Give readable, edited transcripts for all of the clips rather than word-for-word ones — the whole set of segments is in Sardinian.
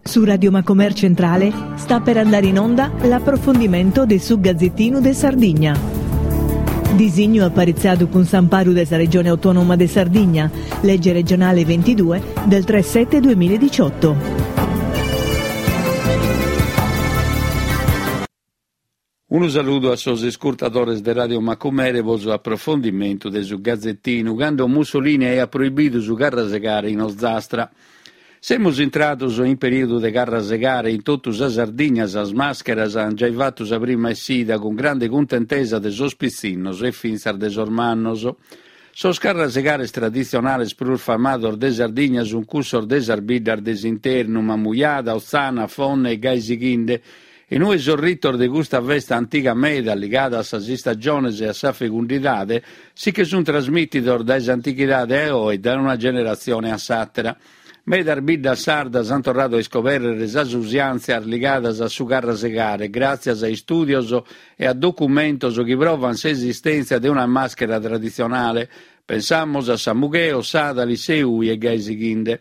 Su Radio Macomer Centrale sta per andare in onda l'approfondimento de su Gazzettinu de Sardigna. Disignu aparitzadu cun s'amparu de sa Regione Autonoma de Sardigna, legge regionale 22 del 3 7 2018. Unu saludu a sos iscurtadores de Radio Macumere pro su aprofondimentu de su Gazetinu, cando Mussolini aiat proibidu su carrasegare in Ozastra. Semus intrados in perìodu de carrasegare, in totu sa Sardigna sas màscheras ant giai fatu sa prima essida, cun grande cuntentesa de sos pitzinnos e fintzas de sos mannos. Sos carrasegares traditzionales prus famados de Sardigna sunt cussos de sas biddas de s'internu, Mamujada, Otzana, Fonne e gai sighinde, In ue sos ritos de custa festa antiga meda, ligada a sas istagiones e a sa fecundidade, si che sunt trasmìtidos dae s'antichidade a oe, dae una generatzione a s'àtera. Medas biddas sardas ant torradu a iscobèrrere sas usiàntzias ligadas a su carrasegare gràtzias a istùdios e a documentos chi provant s'esistèntzia de una màschera traditzionale, pensamus a Samugheo, Sàdali, Seui e gai sighinde.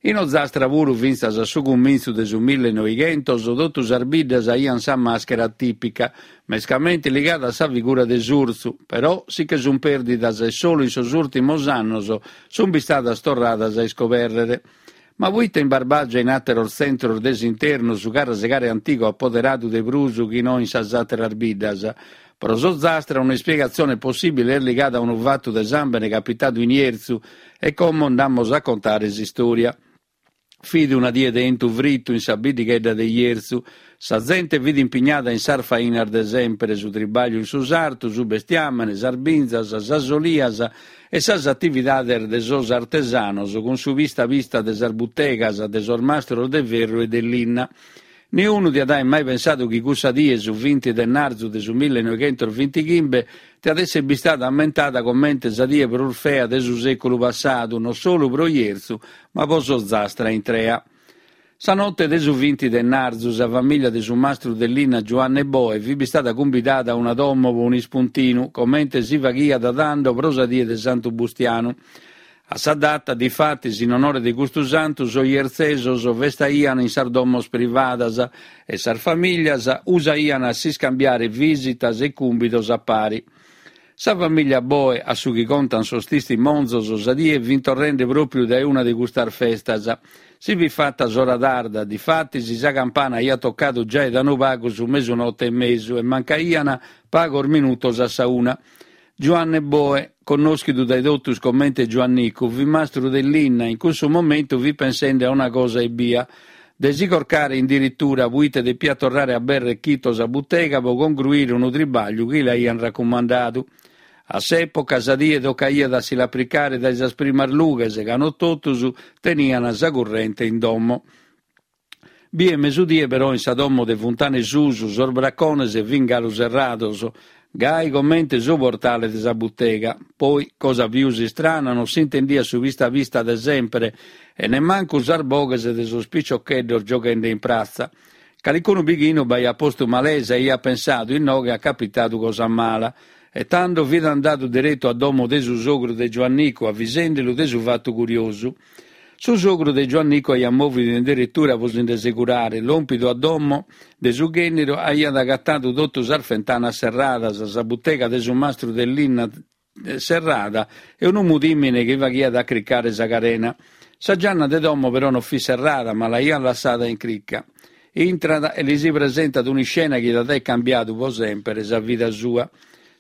In Ozastra puru fintzas a su cumintzu de su millenoighentos totu sas biddas aiant sa màschera tìpica, mescamente ligada a sa figura de s'urtzu, però si che sunt pèrdidas e solu in sos ùrtimos annos sunt bistadas torradas a iscobèrrere. Ma poite in Barbàgia e in àteros tzentros de s'internu su carrasegare antigu at poderadu de prus chi no in sas àteras biddas? Pro s'Ozastra un'ispiegatzione possìbile est ligada a unu fatu de sàmbene capitadu in Jerzu e como nd'amus a contare s'istòria. Fit una die de 'entu fritu in sa biddighedda de Jerzu. Sa zente fit impignada in sas fainas de sempre, su tribagliu in su sartu, su bestiàmene, sas binzas, sas olias e sas atividades de sos artesanos cun su pista pista de sas butegas de sos mastros de ferru e de linna. Niunu diat aer mai pensadu chi cussa die, su vinti de narzu de su millenoighentosvintighimbe, diat esser bistada ammentada comente sa die prus fea de su sèculu passadu, non solu pro Jerzu, ma pro s'Ozastra intrea. Sa note de su vinti de narzu, sa famìllia de su mastru de linna Giuanne Boe fit bistada cumbidada a una domo pro un'ispuntinu, comente si faghiat tando pro sa die de Santu Bustianu. A sa data, difatis, in onore de custu santu, sos jertzesos festaian in sas domos privadas e sas famìlias usaian a s'iscambiare vìsitas e cùmbidos a pari. Sa famìlia Boe, a su chi contan sos tistimonzos, sa die fin torrende pròpiu dae una de custas festas. Si fit fata s'ora tarda, difatis sa campana aiat tocadu giai da unu pagu su mesunote e mesu e mancaian pagos minutos a sa una. Giuanne Boe, connòschidu dae totus comente Giuannicu, fit mastru de linna e in cussu momentu fit pensende a una cosa ebbia, de si corcare in diritura puite depiat torrare a aberrer chito sa butega pro congruire unu tribagliu chi l'aian racumandadu. A s'època sa die tocaiat a si l'apricare dae sas primas lughes ca no totus tenian sa currente in domo. Bie mesudie però in sa domo de Funtana 'e Susu sos bracones fin galu serrados, gai comente su portale de sa butega. Poi, cosa pius istrana, non s'intendiat su pista pista de sempre e nemmancu sas boghes de sos piciocheddos gioghende in pratza. Calicunu bighinu b'aiat postu malesa e aiat pensadu, inoghe at capitadu cosa mala. E tando fit andadu deretu a domo de su sogru de Giuannicu avisendelu de su fatu curiosu. Su sogru de Giuannicu aiat mòvidu in deretura pro si nde segurare. Lòmpidu a domo de su ghènneru aiat agatadu totu sas fentanas serradas, sa butega de su mastru de linna serrada e unu mudìmine chi faghiat acricare sa carena. Sa gianna de domo però non fit serrada, ma l'aiat lassada in crica. Intrat e li si presentat un'iscena chi diat aer cambiadu pro semper sa vida sua.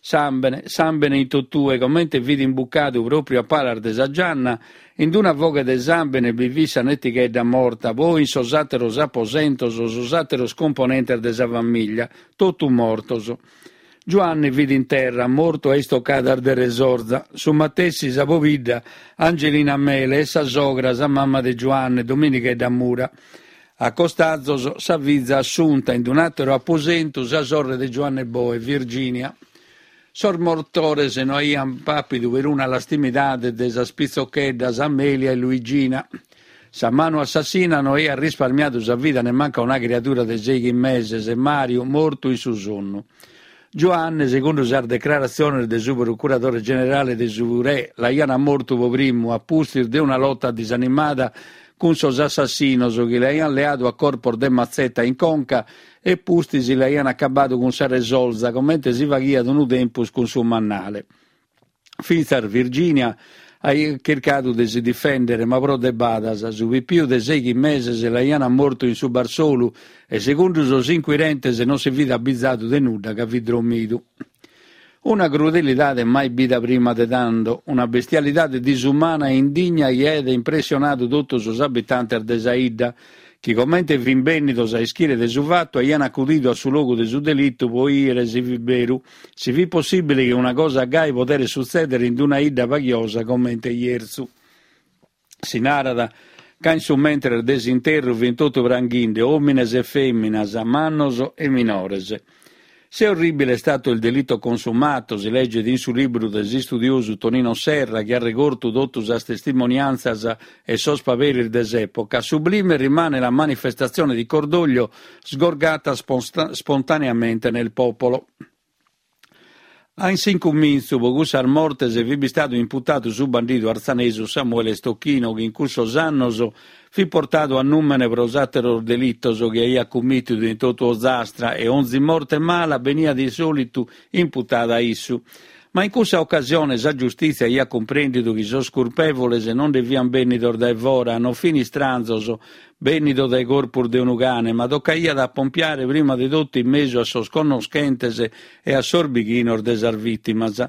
Sàmbene, sàmbene in totue, comente fit imbucadu pròpriu a palas de sa gianna, in d'una foghe de sàmbene bi fit sa netighedda morta, poi in sos àteros aposentos sos àteros componentes de sa famìllia, totu mortos. Giuanne fit in terra, mortu a istocadas de resorza, su matessi sa pobidda Angelina Mele e sa sogra, sa mama de Giuanne, Dominighedda Mura. A costazos, sa fiza Assunta, in un'àteru aposentu sa sorre de Giuanne Boe, Virginia. Sos mortores no aiant pàpidu peruna lastimidade de sas pitzocheddas Amelia e Luigina. Sa manu assassina no aiat risparmiadu sa vida nemmancu a una criadura de sèighi meses, Màriu, mortu in su sonnu. Giuanne, segundu sas decraratziones de su procuradore generale de su re, l'aiant mortu pro primu, a pustis de una lota disanimada. cun sos assassinos chi l'aiant leadu a corpos de matzeta in conca e pustis l'aiant acabadu cun sa resolza, comente si faghiat unu tempus cun su mannale. Fintzas Virginia aiat chircadu de si difèndere, ma pro de badas. Su pipiu de sèighi meses l'aiant mortu in su barsolu e segundu sos incuirentes non si fit abizadu de nudda ca fit drommidu. Una crudelidade mai bida prima de tando, una bestialidade disumana e indigna chi aiat impressionadu totu sos abitantes de sa 'idda, chi comente fin bènnidos a ischire de su fatu aiant acudidu a su logu de su delitu pro 'ìere si fit beru, si fit possìbile chi una cosa gai poderet sutzèdere in una 'idda paghiosa comente Jerzu. Si narat ca in su mentres de s'interru fin totu pranghinde, òmines e fèminas, mannos e minores. Se orribile è stato il delitto consumato, si leget in su libru de s'istudiosu Tonino Serra chi at regortu totu sas testimoniantzas e sos paperis de s'època, sublime rimane la manifestazione di cordoglio sgorgata spontaneamente nel popolo. A in s'incumintzu, pro cussas mortes fit bistadu imputadu su bandidu artzanesu Samuele Stocchino chi in cussos annos fit portadu a nùmene pro àteros delitos chi aiat cummìtidu in totu Ozastra e onzi morte mala beniat in sòlitu imputada a issu. Ma in cussa ocasione sa giustìtzia aiat cumprèndidu chi sos curpèvoles non nde fiant bènnidos dae fora, non fin istranzos bènnidos dae corpus de unu cane, ma tocaiat a pompiare prima de totu in mesu a sos connoschentes e a sos bighinos de sas vìtimas.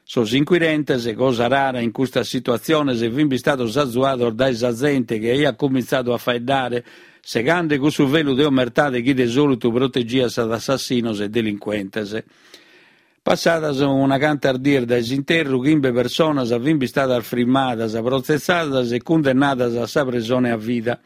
Sos incuirentes, cosa rara in custas situatziones, fin bistados azuados dae sa zente chi aiat cumintzadu a faeddare, segande cussu velu de omertade chi de sòlitu protegiat sos assassinos e delincuentes. Passadas una cantas dies dae s'interru, chimbe personas fin bistadas frimmadas, protzessadas e cundennadas a sa presone a vida.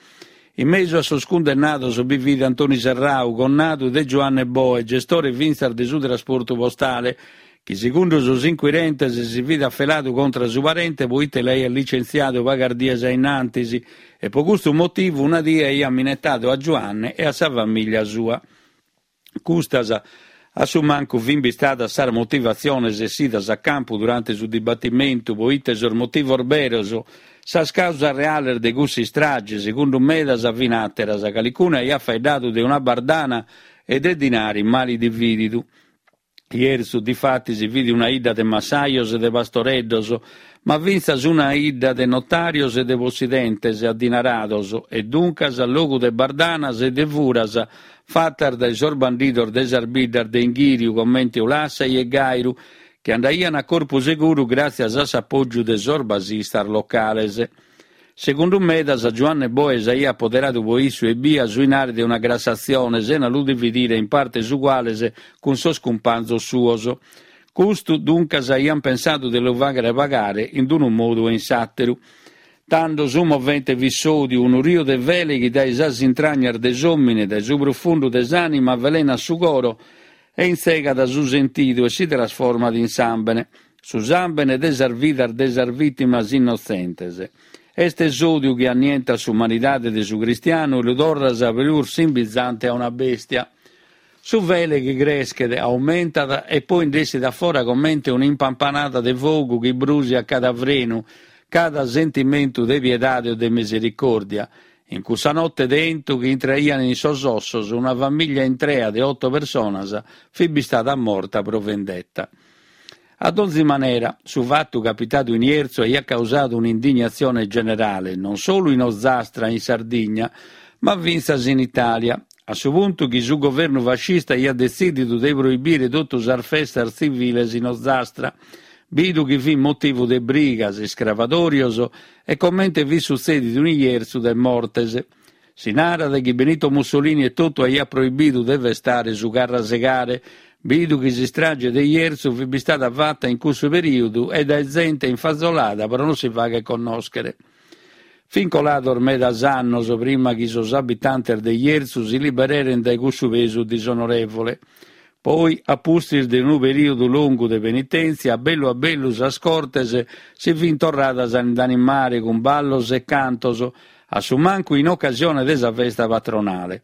In mesu a sos cundennados bi fit Antoni Serrau, connadu de Giuanne Boe, gestore fintzas de su trasportu postale, chi segundu sos incuirentes si fit afeladu contra su parente poite l'aiat licentziadu pagas dies a innantis e pro custu motivu una die aiat minetadu a Giuanne e a sa famìllia sua. Custas, a su mancu, fin bistadas sas motivatziones essidas a campu durante su dibattimentu, poite sos motivos beros, sas causas reales de cuss'istrage, segundu medas, fin àteras, calicunu aiat faeddadu de una bardana e de dinari mali divididu. Jerzu, difatis, fit una 'idda de massajos e de pastoreddos, ma fintzas una 'idda de notàrios e de possidentes addinarados e duncas logu de bardanas e de furas fatas dae sos bandidos de sas biddas de inghìriu comente Ulassai e Gàiru, chi andaian a corpu seguru gràtzias a s'apògiu de sos basistas locales. Segundu medas, Giuanne Boe s'aiat apoderadu pro issu ebbia su 'inari de una grassatzione sena lu dividire in partes uguales cun sos cumpanzos suos. Custu, duncas, aiant pensadu de lu fàghere pagare in unu modu o in s'àteru. Tando su movente fit s'òdiu, unu riu de fele chi dae sas intragnas de s'òmine, dae su prufundu de s'ànima, avelenat su coro e intzegat su sentidu e si trasformat in sàmbene. Su sàmbene de sas vidas de sas vìtimas innotzentes. Est s'òdiu chi annientat s'umanidade de su cristianu e lu torrat prus simbizante a una bèstia. Su fele chi creschet, aumentat e poi nd'essit a fora comente un'impampanada de fogu chi brùsiat cada frenu, cada sentimentu de piedade o de misericòrdia. In cussa note de 'entu chi intraiat in sos ossos, una famìllia intrea de oto personas fit bistada morta pro vendetta. A donzi manera, su fatu capitadu in Jerzu aiat causadu un'indignatzione generale, non solu in Ozastra e in Sardigna, ma fintzas in Itàlia, a su puntu chi su governu fascista aiat detzìdidu de proibire totu sas festas tziviles in Ozastra, bidu chi fit motivu de brigas, iscravadòrios e, comente fit sutzèdidu in Jerzu, de mortes. Si narat chi Benito Mussolini etotu aiat proibidu de festare su carrasegare, bidu chi s'istrage de Jerzu fit bistada fata in cussu perìodu e dae zente infazolada pro non si fagher connòschere. Fin colados medas annos prima chi sos abitantes de Jerzu si libererent dae cussu pesu disonorèvole. Poi, a pustis de unu perìodu longu de penitèntzia, a bellu a bellu sas cortes si fin torradas a indanimare cun ballos e cantos, a su mancu in ocasione de sa festa patronale.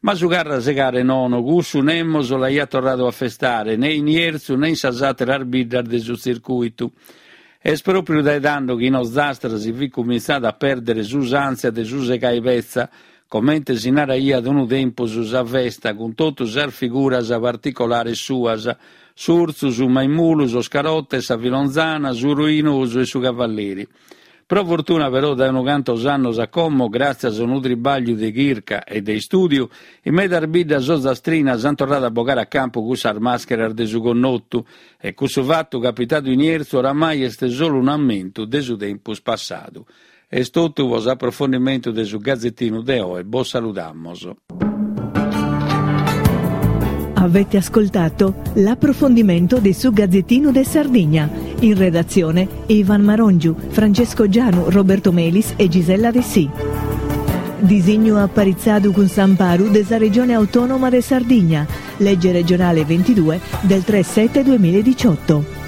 Ma su carrasegare nono, cussu nemos l'aiat torradu a festare, ne in Jerzu ne in sas àteras biddas de su tzircùitu. Est pròpriu dae tando chi in Ozastra si fit cumintzada a pèrdere s'usàntzia de su segai petza, comente si naraiat unu tempus sa festa cun totu sas figuras particolares suas, s'urtzu, su maimulu, sos carotes, sa filonzana, su ruinosu e su cavalleri. Pro fortuna però dae unu cantos annos a como, gràtzias a unu tribàgliu de chirca e de istùdiu, in medas biddas ozastrinas ant torradu a bogare a campu cussas màscheras de su connotu e cussu fatu capitadu in Jerzu oramai est solu un'ammentu de su tempus passadu. Est totu pro s'aprofondimentu de su Gazetinu de oe, bos saludamos. Avete ascoltato l'approfondimento de su Gazzettino de Sardigna. In redazione Ivan Marongiu, Francesco Gianu, Roberto Melis e Gisella Dessì. Disignu aparitzadu cun s'amparu de sa Regione Autonoma de Sardigna, legge regionale 22 del 3 7 2018.